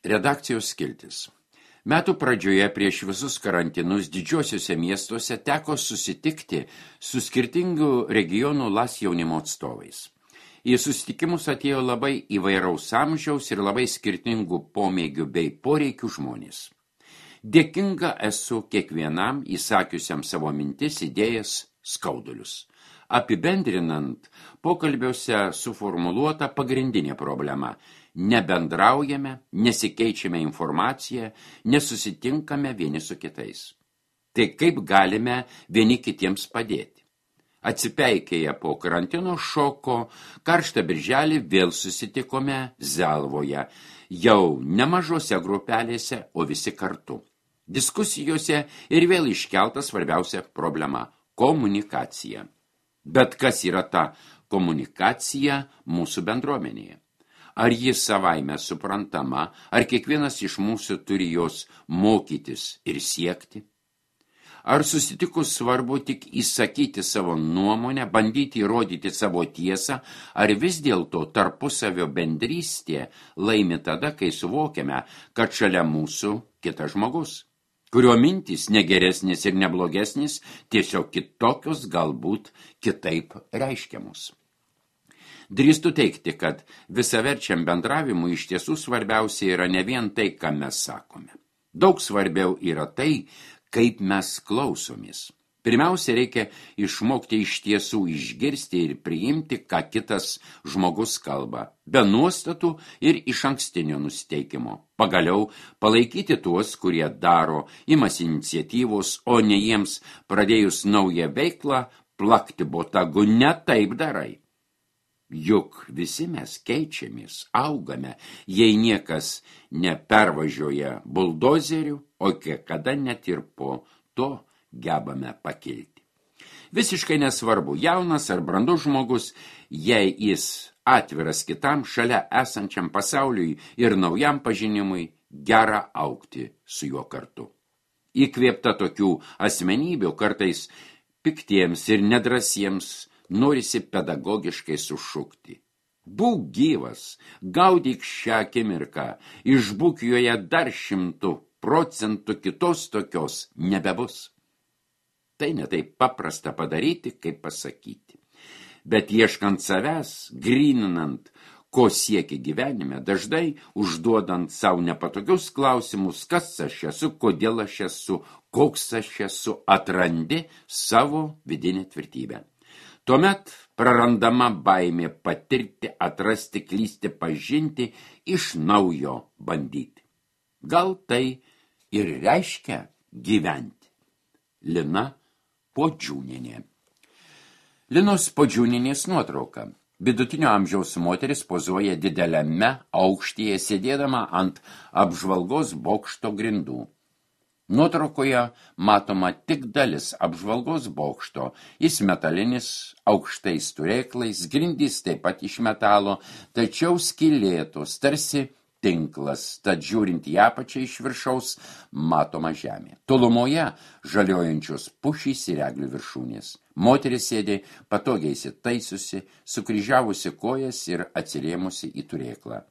Redakcijos skiltis. Metų pradžioje prieš visus karantinus didžiosiuose miestuose teko susitikti su skirtingų regionų LAS jaunimo atstovais. Į susitikimus atėjo labai įvairaus amžiaus ir labai skirtingų pomėgių bei poreikių žmonės. Dėkinga esu kiekvienam įsakiusiam savo mintis, idėjas, skaudulius. Apibendrinant, pokalbiuose suformuluota pagrindinė problema – nebendraujame, nesikeičiame informaciją, nesusitinkame vieni su kitais. Tai kaip galime vieni kitiems padėti? Atsipeikėję po karantino šoko, karštą birželį vėl susitikome Zelvoje, jau nemažose grupelėse, o visi kartu. Diskusijose ir vėl iškelta svarbiausia problema – komunikacija. Bet kas yra ta komunikacija mūsų bendruomenėje? Ar ji savaime suprantama, ar kiekvienas iš mūsų turi jos mokytis ir siekti? Ar susitikus svarbu tik įsakyti savo nuomonę, bandyti įrodyti savo tiesą, ar vis dėlto tarpusavio bendrystė laimi tada, kai suvokiame, kad šalia mūsų kitas žmogus, kurio mintys negeresnis ir neblogesnis, tiesiog kitokios galbūt kitaip reiškiamus. Drįstu teigti, kad visaverčiam bendravimui iš tiesų svarbiausia yra ne vien tai, ką mes sakome. Daug svarbiau yra tai, kaip mes klausomės. Pirmiausia, reikia išmokti iš tiesų išgirsti ir priimti, ką kitas žmogus kalba, be nuostatų ir išankstinio nusiteikimo. Pagaliau palaikyti tuos, kurie daro, imasi iniciatyvos, o ne jiems pradėjus naują veiklą, plakti botagu, ne taip darai. Juk visi mes keičiamės, augame, jei niekas nepervažiuoja buldozerių, o kiekada net ir po to gebame pakilti. Visiškai nesvarbu, jaunas ar brandus žmogus, jei jis atviras kitam, šalia esančiam pasauliui ir naujam pažinimui, gera augti su juo kartu. Įkvėpta tokių asmenybių kartais piktiems ir nedrasiems norisi pedagogiškai sušukti. Būk gyvas, gaudyk šią akimirką, išbūk joje dar 100%, kitos tokios nebebus. Tai ne taip paprasta padaryti, kaip pasakyti. Bet ieškant savęs, gryninant, ko siekia gyvenime, dažnai užduodant savo nepatogius klausimus, kas aš esu, kodėl aš esu, koks aš esu, atrandi savo vidinę tvirtybę. Tuomet prarandama baimė patirti, atrasti, klysti, pažinti, iš naujo bandyti. Gal tai ir reiškia gyventi. Lina Podžiūnienė. Linos Podžiūnienės nuotrauka. Vidutinio amžiaus moteris pozuoja dideliame aukštyje, sėdėdama ant apžvalgos bokšto grindų. Nuotraukoje matoma tik dalis apžvalgos bokšto, jis metalinis, aukštais turėklais, grindys taip pat iš metalo, tačiau skylėtos, tarsi tinklas, tad žiūrint į apačią iš viršaus matoma žemė. Tolumoje žaliojančios pušys ir eglių viršūnės. Moteris sėdė patogiai įsitaisiusi, sukryžiavusi kojas ir atsirėmusi į turėklą.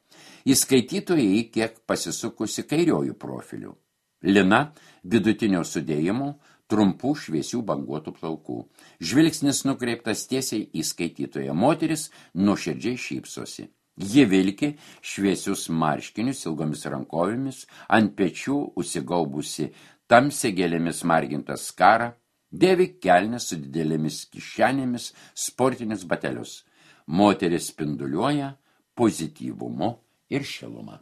Į skaitytoją kiek pasisukusi kairiojų profilių. Lina vidutinio sudėjimo, trumpų šviesių banguotų plaukų. Žvilgsnis nukreiptas tiesiai į skaitytoją. Moteris nuoširdžiai šypsosi. Ji vilki šviesius marškinius ilgomis rankovėmis, ant pečių užsigaubusi tamsiai gėlėmis margintą skarą, dėvi kelnes su didelėmis kišenėmis, sportinius batelius. Moteris spinduliuoja pozityvumu ir šilumą.